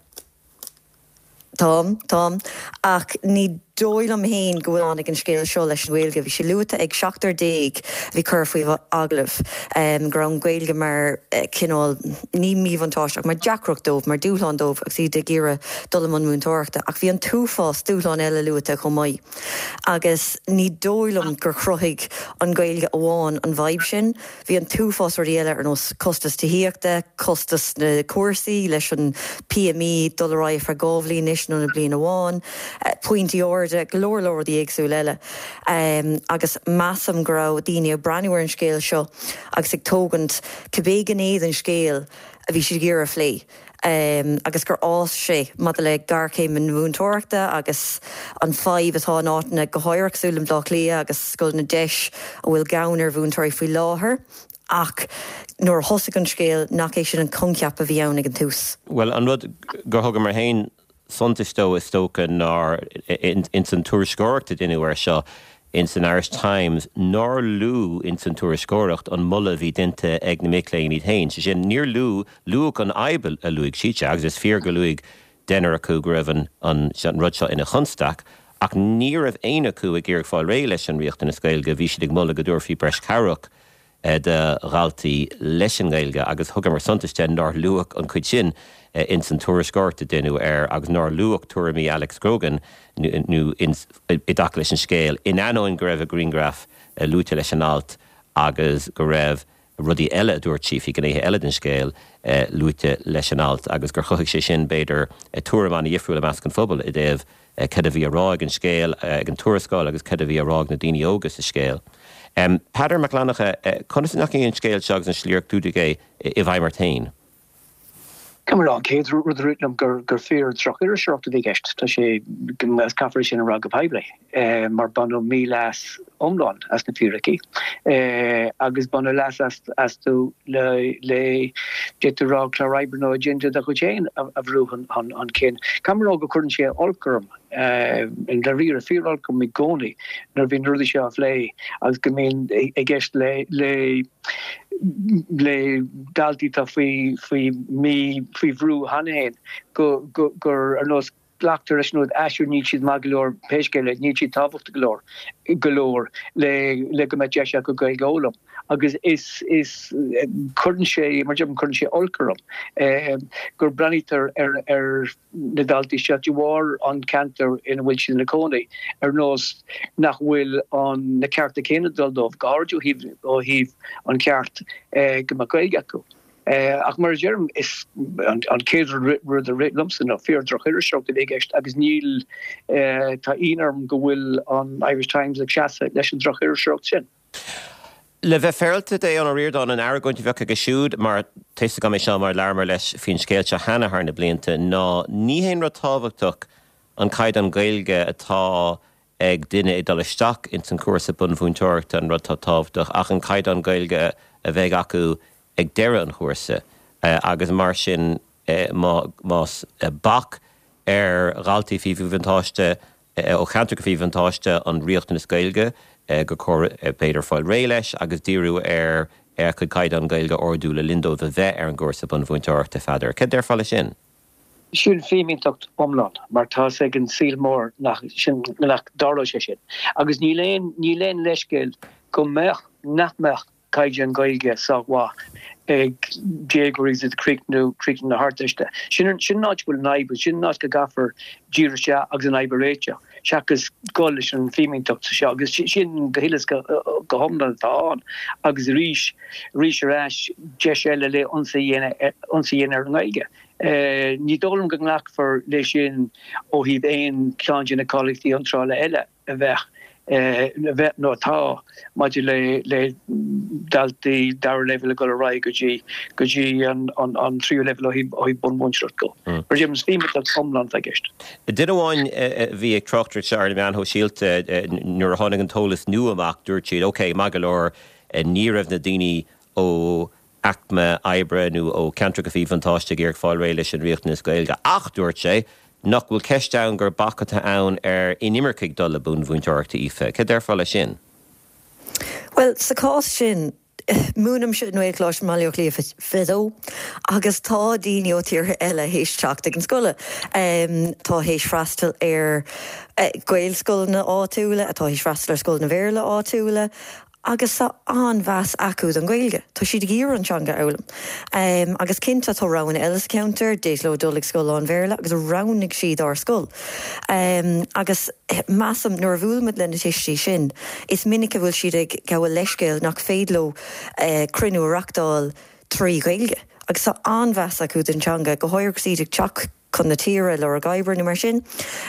Táim, táim. Ach ní dóigh liom féin go bhfuil ag an scéal seo leis an Ghaeilge. Bhí sé luaite ag seachtar déag a bhí curtha faoi agallamh go raibh an Ghaeilge mar chineál, ní míbhuntáiste ach mar deacracht dóibh, mar dúshlán dóibh agus iad ag iarraidh dul i mbun múinteoireachta. Ach bhí an t-uafás dúshlán eile luaite chomh maith. Agus ní dóigh liom gur chruthaigh an Ghaeilge amháin an bhfadhb sin. Bhí an t-uafás rudaí eile ar nós costas tithíochta, costas na cúrsaí leis an PME dul ar aghaidh feadh 2 bhliain anois in ionad bliain amháin, pointí arda, go leor leor rudaí éagsúla eile. Agus measaim go raibh daoine ag breathnú ar an scéal seo agus ag tógaint cibé gné den scéal a bhí siad ag iarraidh a phlé. agus gur fhás sé maidir le géarchéim na múinteoireachta agus an fadhb atá in áiteanna go háirithe cosúil le Baile Átha Cliath agus scoileanna DEIS a bhfuil gann ar mhúinteoirí faoi láthair ach nuair a thosaigh an scéal nach é sin an coincheap a bhí ann ag an tús. Bhuel, an rud gur thugamar féin suntas dó is dócha ná ins an tuairisceoireacht a deineadh air seo ins an Irish Times nár luadh ins an tuairisceoireacht an moladh a bhí déanta ag na mic léinn iad féin. Sé sin, níor luadh, luadh an fhadhb a luaigh siad, sea, agus is fíor gur luaigh deichniúr acu go raibh an, an, an rud seo ina chonstaic, ach ní raibh éinne acu ag iarraidh fáil réidh leis an riachtanas Gaeilge, bhí siad ag moladh go dtabharfaí breis cabhrach do dhaltaí leis an nGaeilge agus thugamar suntas de nár luadh an chuid sin ins an tuairisceoireacht a deineadh air agus nár luadh tuairimí Alex Grogan nó i dtaca leis an scéal, in ainneoin go raibh a grianghraf luaite leis an alt agus go raibh rudaí eile a dúirt sí faoi ghnéithe eile den scéal luaite leis an alt agus gur chothaigh sé sin, b'fhéidir, tuairim an-dhifriúil i measc an phobail i dtaobh cad a bhí á rá ag an scéal, ag an tuarascáil agus cad a bhí á rá ag na daoine óga sa scéal. Peadar Mac Fhlannchadha, conas a ndeachaigh an scéal seo agus an slí ar clúdaíodh é i bhfeidhm ort féin? Caithfidh mé a rá, an chéad rud a rith liom gur gur fíor droch-iriseoireacht a bhí i gceist. Tá sé, agus caithfear é sin a rá go poiblí, mar baineadh míleas iomlán as na fíricí agus baineadh leas astu le, le, d'fhéadfá a rá, clár oibre nó agenda dá gcuid féin a bhrú chun cinn. Caithfidh mé a rá go gcuireann sé olc orm, i ndáiríre, fíor-olc orm i gcónaí nuair a bhíonn na rudaí seo á phlé agus go mbíonn i gceist le, le, le daltaí atá faoi, faoi mí, faoi bhrú cheana féin go, go, gur ar nós glactar leis an rud ah sure níl siad maith go leor pé scéal é, níl siad tábhachtach go leor go leor le le go mbeadh deis acu Gaeilge a fhoghlaim agus is is cuireann sé mar deirim cuireann sé olc orm gur breathnaítear ar ar na daltaí seo de bharr an ceantar ina bhfuil siad ina cónaí ar nós nach bhfuil an na cearta céanna ag dul dóibh go háirid ó thaobh ó thaobh an ceart go mbeadh Gaeilge acu. Ach mar a deirim, is an chéad rud a rith liomsa ná fíor droch-iriseoireacht a bhí i gceist agus níl, tá ionadh orm go bhfuil an Irish Times ag seasamh leis an droch-iriseoireacht sin. Le bheith féaráilte d'Aodhán Ó Ríordáin, an argóint a bheadh aige siúd, mar tá 'fhios agam é seo mar labhramar leis faoin scéal seo cheana thar na blianta, ná ní haon rud tábhachtach an caighdeán Gaeilge atá ag duine ag dul isteach ins an chúrsa bunmhúinteoireachta an rud atá tábhachtach ach an caighdeán Gaeilge a bheidh acu ag deireadh an chúrsa agus mar sin más bac ar dhaltaí faoi mhíbhuntáiste ó cheantracha faoi mhíbhuntáiste an riachtanas Gaeilge gur chóir b'fhéidir fáil réidh leis agus díriú ar a gcuid caighdeán Gaeilge a ardú le linn dóibh a bheith ar an gcúrsa bunmhúinteoireachta. Pheadair, cad déarfá leis sin? Sin fímínteacht iomlán mar tá 'fhios ag an saol mór nach sin nach dtarlóidh sé sin. Agus níl aon níl aon leithscéal go mbeadh nach mbeadh caighdeán Gaeilge sách mhaith ag déagóirí agus iad ag críochnú críochnú na hArdteiste. Sin an sin an áit a bhfuil an fhadhb, sin an áit go gcaithfear díriú isteach agus an fhadhb a réiteach seachas dul leis an bhfímínteacht seo agus sin go huile is go go hiomlán atá ann agus arís arís ar ais deis eile le ionsaí a dhéanamh ionsaí a dhéanamh ar an nGaeilge. Ní dóigh liom go nglacfar leis sin ó thaobh aon cheann de na cáilíochtaí iontrála eile a bheadh, a bheadh nó atá maidir le le daltaí dara leibhéal ag dul ar aghaidh go dtí go dtí an an tríú leibhéal ó thaobh ó thaobh bunmhúinteoireacht de. Mar a deirim, is fímínteacht iomlán atá i gceist. Duine amháin a bhí ag tráchtaireacht seo ar na meáin shóisialta nuair a tháinig an t-eolas nua amach, dúirt siad, ok, maith go leor, ní raibh na daoine ó aicme oibre nó ó cheantracha faoi bhuntáiste ag iarraidh fáil réidh leis an riachtanas Gaeilge. Ach, dúirt sé, nach bhfuil ceist ann gur bac atá ann ar inimircigh dul le bunmhúinteoireachta, Aoife. Cad déarfá leis sin? Bhuel, sa chás sin, múinimse i nGaelcholáiste i mBaile Átha Cliath 22 agus tá daoine ó tíortha eile théis teacht ag an scoil, atá théis freastal ar Ghaelscoileanna áitiúla, atá théis freastal ar scoileanna Bhéarla áitiúla agus tá an-mheas acu don Ghaeilge. Tá siad ag iarraidh an teanga a fhoghlaim. Agus cinnte tá roghanna eile sa cheantar, d'fhéadfadh leo dul ag scoil lán-Bhéarla agus roghnaigh siad ár scoil. Agus measaim nuair a bhuailimid le na tuistí sin, is minic a bhfuil siad ag gabháil leithscéal nach féidir leo cruinniú a reachtáil trí Ghaeilge. Agus tá an-mheas acu don teanga, go háirithe agus iad ag teacht chun na tíre, ag lorg oibre nó mar sin.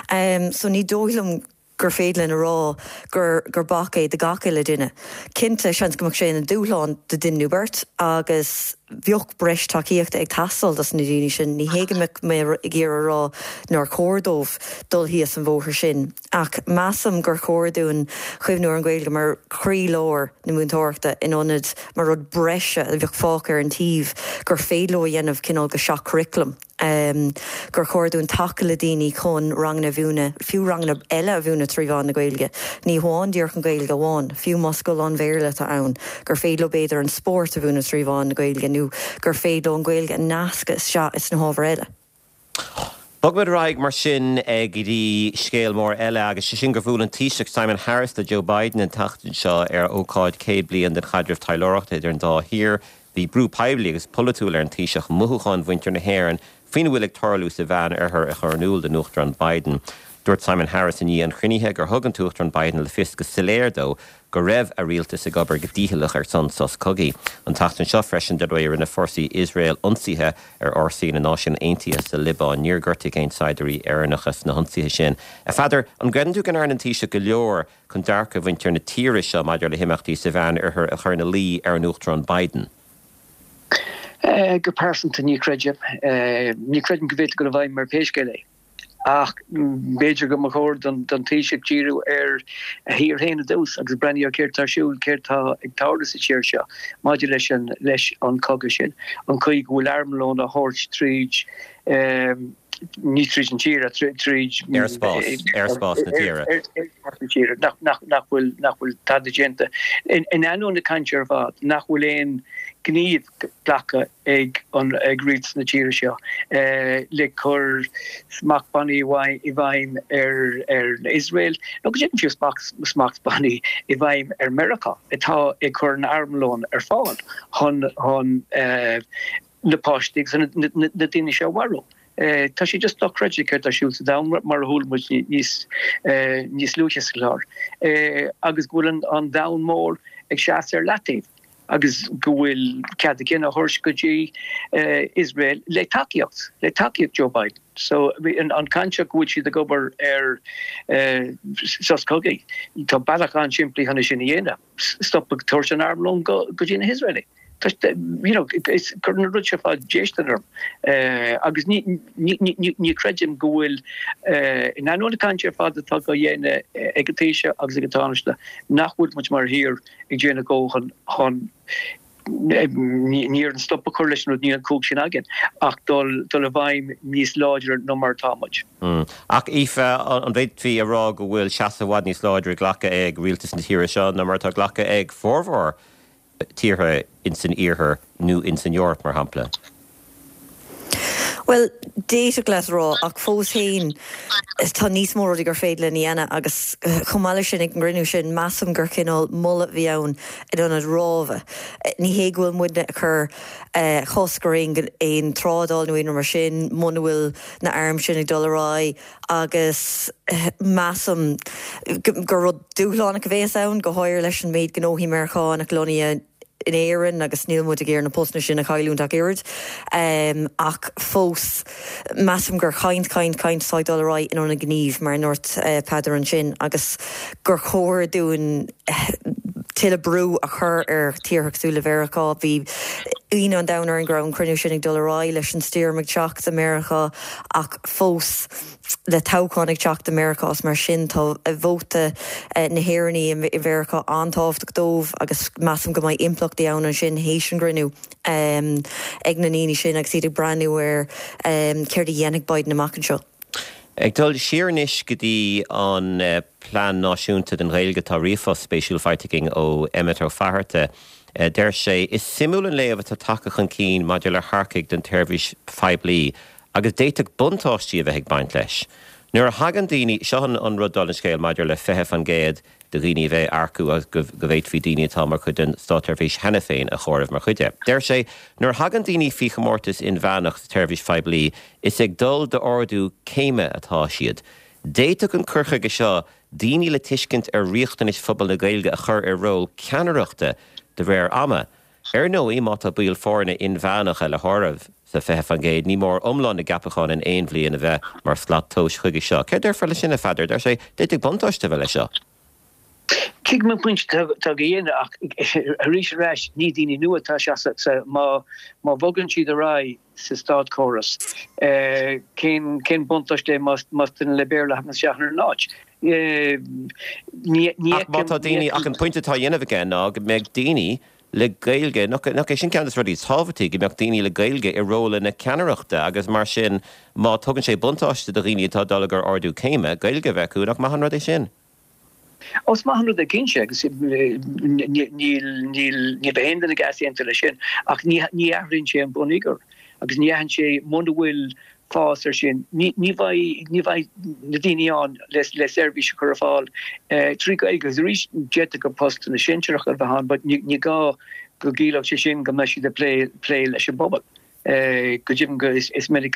So ní dóigh liom gur féidir linn a rá gur gur bac é do gach uile duine. Cinnte, seans go mbeadh sé ina dúshlán do duine nó beirt agus bheadh breis tacaíochta ag teastáil dos na daoine sin. Ní hé go mbeadh mé ag iarraidh a rá nár chóir dóibh dul thíos an bhóthar sin ach measaim gur chóir dúinn cuimhniú ar an Ghaeilge mar chroílár na múinteoireachta in ionad mar rud breise a bheadh fágtha ar an taobh gur féidir leo a dhéanamh cineál go seach-churaclam. gur chóir dúinn tacú le daoine chun ranganna a mhúineadh, fiú ranganna eile a mhúineadh trí mheán na Gaeilge, ní hamháin díreach an Ghaeilge amháin, fiú más scoil lán-Bhéarla atá ann, gur féidir leo b'fhéidir an spórt a mhúineadh trí mheán na Gaeilge nó gur féidir leo an Ghaeilge a nascadh isteach sna hábhair eile. Bogfaimid ar aghaidh mar sin go dtí scéal mór eile agus sé sin gur bhuail an Taoiseach Simon Harris le Joe Biden an tseachtain seo ar ócáid 100 bliain den chaidreamh taidhleoireachta idir an dá thír. Bhí brú poiblí agus polaitiúil ar an Taoiseach mothúcháin mhuintir na hÉireann faoina bhfuil ag tarlú sa Mheán-Oirthear a chur in iúl don Uachtarán Biden. Dúirt Simon Harris i ndiaidh an chruinnithe gur thug an tUachtarán Biden le fios go soiléir dó go raibh a rialtas ag obair go dícheallach ar son sos cogaidh. An tseachtain seo freisin, dar ndóigh, rinne fórsaí Iosrael ionsaithe ar fhórsaí na Náisiún Aontaithe sa Liobáin. Níor gortaíodh aon saighdiúirí Éireannacha sna hionsaithe sin. A Pheadair, an gcreideann tú go ndearna an Taoiseach go leor chun dearcadh mhuintir na tíre seo maidir le himeachtaí sa Mheán-Oirthear a chur ina luí ar an Uachtarán Biden? Go pearsanta, ní chreidim. Ní chreidim go bhféadfadh dul i bhfeidhm ar pé scéal é. Ach b'fhéidir go mba chóir don Taoiseach díriú ar a thír féin i dtús agus breathnú ar céard tá ar siúl, céard tá ag tarlú sa tír seo maidir leis an leis an cogadh sin, an chaoi go bhfuil armlón á thabhairt tríd ní tríd an tír ach tríd aerspás, aerspás na tíre. Aerspás na tíre, nach, nach, nach bhfuil, nach bhfuil tada déanta. In ainneoin na cainte ar fad, nach bhfuil aon ghníomh glactha ag an, ag rialtas na tíre seo le cur smachtbhannaí i bhfeidhm ar, ar Iosrael, nó go deimhin fiú smachtbhannaí i bhfeidhm ar Meiriceá atá ag cur an armlón ar fáil chun, chun na páistí agus na daoine seo a mharú. Tá sé just dochreidte céard tá ar siúl sa domhan mar a chuala muid níos níos luaithe sa chlár agus go bhfuil an domhan mór ag seasamh ar leataobh agus go bhfuil cead a gcinn á thabhairt go dtí Iosrael le tacaíocht, le tacaíocht Joe Biden. So an chaint seo go bhfuil siad ag obair ar sos cogaidh, tá bealach an-simplí chun é sin a dhéanamh, stop ag tabhairt an armlón go dtí na hIosraelaigh. You know, cuireann an rud seo ar fad déistin orm agus ní chreidim go bhfuil, in ainneoin na cainte ar fad atá á dhéanamh ag an Taoiseach agus ag an Tánaiste, nach bhfuil muid mar thír ag déanamh a dhóthain chun, ní déarfainn stop a chur leis an rud, níl an chumhacht sin againn, ach dul i bhfeidhm níos láidre ná mar atá muid. Ach Aoife, an bhféadfaí a rá go bhfuil seasamh i bhfad níos láidre glactha ag rialtas na tíre seo ná mar atá glactha ag formhór tíortha ins an Iarthar nó ins an Eoraip, mar shampla? Bhuel, d'fhéadfadh leat a rá, ach fós féin, tá níos mó rudaí gur féidir linn a dhéanamh agus chomh maith leis sin, ag an gcruinniú sin, measaim gur cineál moladh a bhí ann in ionad rábhadh. Ní hé go bhfuil muidne ag cur cosc ar aon aon trádáil nó aon rud mar sin muna bhfuil na airm sin ag dul ar aghaidh, agus measaim gur rud dúshlánach a bhéas ann, go háirithe leis an méid gnóthaí Meiriceánach lonnaithe in Éirinn agus níl muid ag iarraidh na postanna sin a chailliúint ach oiread. Ach fós, measaim gur caint, caint, caint atá ag dul ar aghaidh in ionad gnímh, mar a ndúirt Peadar ansin, agus gur chóir dúinn tuilleadh brú a chur ar tíortha cosúil le Mheiriceá. Bhí ionadh an domhain orainn go raibh an cruinniú sin ag dul ar aghaidh leis an stoirm ag teacht i Meiriceá ach fós le toghchán ag teacht i Meiriceá is mar sin tá vóta na hÉireannaí i Mheiriceá an-tábhachtach dóibh agus measaim go mbeidh impleachtaí ann ansin théis an gcruinniú ag na ndaoine sin agus iad ag breathnú ar céard a dhéanfaidh Biden amach anseo. Ag dul siar anois go dtí an Plean Náisiúnta don Ghaeilge, tá ríomhphost spéisiúil faighte againn ó Emmet Ó Fatharta. Deir sé, Is suimiúil an léamh atá tagtha chun cinn maidir le hearcaigh don tseirbhís phoiblí agus d'fhéadfadh buntáistí a bheith ag baint leis. Nuair a thagann daoine, seo an rud dála an scéil maidir le 20% de dhaoine a bheith á earcú agus go bhféadfaí daoine atá mar chuid den státseirbhís cheana féin a chomhaireamh mar chuid de. Deir sé, Nuair a thagann daoine faoi chomórtas inmheánach sa tseirbhís phoiblí, is ag dul d'ardú céime atá siad. D'fhéadfadh an cur chuige seo daoine le tuiscint ar riachtanais phobal na Gaeilge a chur i ról ceannaireachta de réir ama. Ar ndóigh, má tá baill foirne inmheánacha le háireamh sa 20%, ní mór iomlán na gceapachán in aon bhliain a bheith mar shlat tomhais chuige seo. Céard déarfá leis sin, a Pheadair? Deir sé, d'fhéadfadh buntáiste a bheith leis seo. Tuigim an pointe atá á dhéanamh ach arís ar ais, ní daoine nua atá isteach sa, má bhogann siad ar aghaidh sa státchóras, cén cén buntáiste é más duine le Béarla a thagann isteach ina n-áit? Ní Ach má tá daoine, ach an pointe atá á dhéanamh aige ná go mbeadh daoine le Gaeilge, nach é sin ceann de na rudaí is tábhachtaí, go mbeadh daoine le Gaeilge i rólanna ceannaireachta agus mar sin má tugann sé buntáiste do dhaoine atá ag dul i gcomhair ardú céime, Gaeilge a bheith acu, nach maith an rud é sin? Ó, is maith an rud é cinnte agus níl, níl, ní bheidh aon duine ag easaontú leis sin ach ní, ní athraíonn sé an bonneagar agus ní athraíonn sé muna bhfuil fás ar sin, ní, ní bheidh, ní bheidh na daoine ann le, le seirbhís a chur ar fáil trí Ghaeilge agus arís d'fhéadfadh gur postanna sinsearacha a bheith ann but ní, ní gá go gciallódh sé sin go mbeidh siad ag plé, plé leis an bpobal. Go deimhin go is minic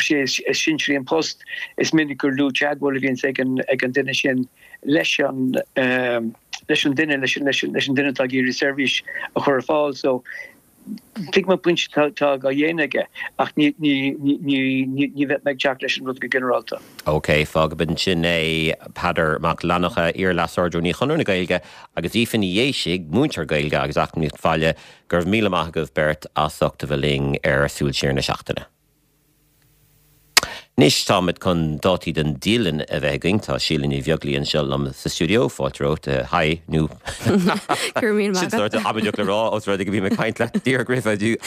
sé is sinsearaí an post, is minic gur lú teagmháil a bhíonns ag an ag an duine sin leis an leis an duine leis an leis an leis an duine atá ag iarraidh seirbhís a chur ar fáil. So tuigim an pointe atá á dhéanamh aige ach ní ní ní ní ní bheidh mé ag teacht leis an rud go ginearálta. OK, fágfaimid ansin é. Peadar Mac Fhlannchadha, iar-Leas-Ard-Rúnaí Chonradh na Gaeilge agus Aoife Ní Dhéisigh, múinteoir Gaeilge agus Eacnamaíocht Bhaile, Go raibh míle maith agaibh beirt as ucht a bheith linn ar Súil Siar na Seachtaine. Anois táimid chun dátaí don dialann a bheith againn. Tá Síle Ní Bheaglaoí anseo liom sa stiúideo. Fáilte romhat. Hi, nó Go raibh míle maith Sin sórt amaideach le rá os rud é go mbím ag caint leat díreach roimhe agus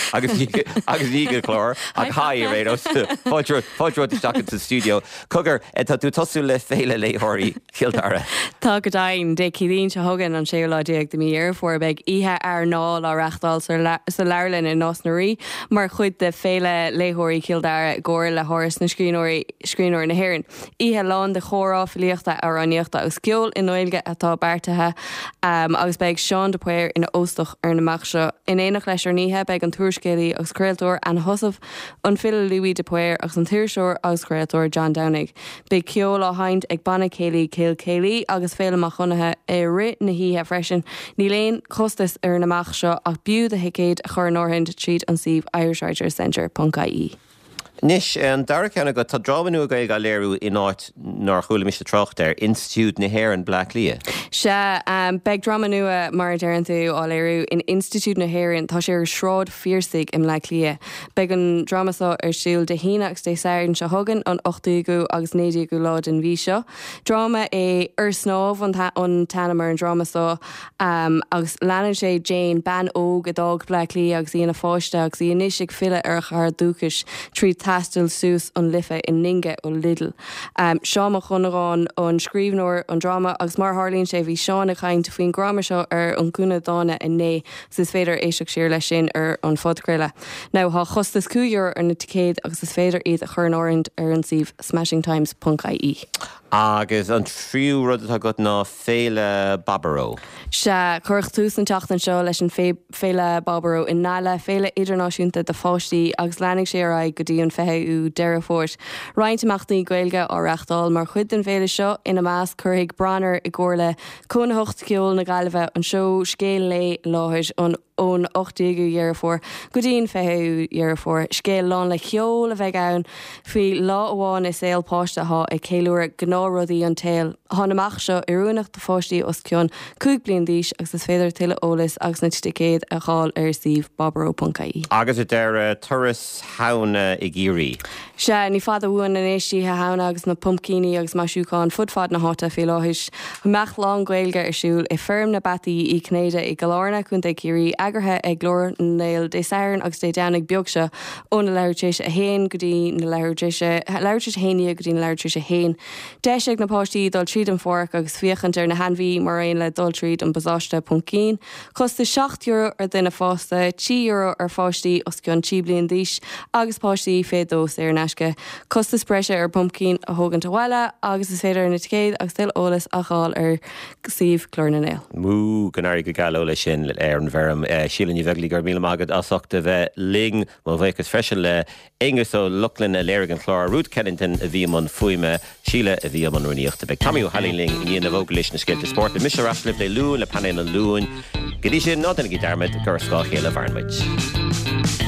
agus ní go clár ach hi ar aon nós. Fáilte fáilte romhat isteach sa stiúideo. Cogar, tá tú ag tosú le Féile Léitheoirí. Chill Dara. Tá go deimhin. Dé Céadaoin seo chugainn, an séú lá déag de mhí Dheireadh Fómhair, beidh Oíche Airneáil á reáchtáil sa leabharlann i Nás na Rí mar chuid de Féile Léitheoirí Chill Dara i gcomhar le hÁras na Scríbhneoirí, Scríbhneoirí na hÉireann. Oíche lán de chomhrá, filíochta, amhránaíochta agus ceoil i nGaeilge atá beartaithe agus beidh Seán de Paor ina óstach ar an imeacht seo. In éineacht leis ar an oíche beidh an t-úrscéalaí agus craoltóir Anna Heussaff, an file Louis de Paor agus an t-iriseoir agus craoltóir John Domhnaigh. Beidh ceol á sheinnt ag Banna Céilí Chill Céilí agus Féilim Mac Dhonncha i rith na hoíche freisin. Níl aon chostas ar an imeacht seo ach b'fhiú do thicéad a chur in áirithint tríd an suíomh irishwriterscentre ponc ie. Anois, an dara ceann agat, tá dráma nua Gaeilge á léiriú in áit nár chuala mise trácht air, Institiúid na hÉireann, Bleá Cliath. Sea, beidh dráma nua, mar a deireann tú, á léiriú in Institiúid na hÉireann. Tá sé ar Shráid Phiarsaigh i mBleá Cliath. Beidh an dráma seo ar siúl Dé hAoine agus Dé Sathairn seo chugainn, an 18ú agus 19ú lá den mhí seo. Dráma é Ar Snámh an t-ainm ar an dráma seo agus leanann sé Jane, bean óg a d'fhág Bleá Cliath agus í ina pháiste agus í anois ag filleadh ar a cathair dúchais trí taisteal suas an Life i ndinge ó Lidl. Seán Mac Dhonnagáin an scríbhneoir an dráma agus mar a tharlaíonn sé bhí Seán ag caint faoin dhráma seo ar An Gúna Dána inné agus is féidir éisteacht siar leis sin ar an phodchraoladh. Now tá costas €5 ar na ticéid agus is féidir iad a chur in áirithint ar an suíomh smashingtimes ponc ie. Agus an tríú rud atá agat ná Féile Baboró. Sea, cuireadh tús an tseachtain seo leis an Féile Baboró i nGaillimh, féile idirnáisiúnta do pháistí agus leanfaidh sé ar aghaidh go dtí an 20ú Deireadh Fómhair. Roinnt imeachtaí Gaeilge á reáchtáil mar chuid den bhféile seo, ina measc, cuirfidh Branar i gcomhar le Cónaitheacht Cheoil na Gaillimhe an seó Scéal Lae i láthair an ón 18ú Dheireadh Fómhair go dtí an 20ú Dheireadh Fómhair. Scéal lán le ceol a bheidh ann faoi lá amháin i saol páiste atá ag ceiliúradh gnáthrudaí an tsaoil. Tá an imeacht seo oiriúnach do pháistí os cionn 5 bliain d'aois agus is féidir tuilleadh eolais agus na ticéid a fháil ar suíomh baboró.ie. Agus ar deireadh, turas Shamhna i gCiarraí. Chiarraí. Sea, ní fada uainn anois Oíche Shamhna agus na pumpcíní agus maisiúcháin fud fad na háite faoi láthair. Imeacht lán-Ghaeilge ar siúl i Feirm na bPeataí Uí Chinnéide i gCill Airne, Co. Chiarraí, eagraithe ag Glór na nGael Dé Sathairn agus Dé Domhnaigh beag seo óna leathuair tar éis a haon go dtí na leathuair tar éis a, leathuair tar éis a haon dhéag go dtí na leathuair tar éis a haon. Deis ag na páistí dul tríd an pháirc agus féachaint ar na hainmhí mar aon le dul tríd an bpasáiste pumpcín. Costas €7 ar dhuine fásta, €3 ar pháistí os cionn 3 bliain d'aois agus páistí fé dhó saor in aisce. Costas breise ar phumpcín a thógaint abhaile agus is féidir na ticéid agus tuilleadh eolais a fháil ar suíomh Glór na nGael. Mú, go n-éirí go geal leo leis sin ar an bhfeirm. Síle Ní Bheaglaoí, go raibh míle maith agat as ucht a bheith linn. Mo bhuíochas freisin le Aonghus Ó Lochlainn a léirigh an clár, Ruth Kennington a bhí i mbun fuaime, Síle a bhí i mbun rúnaíochta. Beidh Tommy Ó hAilín linn i ndiaidh na bhfógraí leis na scéalta spóirt. Beidh mise ar ais libh Dé Luain le Painéal an Luain. Go dtí sin, ná déanaigí dearmad gur ar scáth a chéile a mhaireann muid.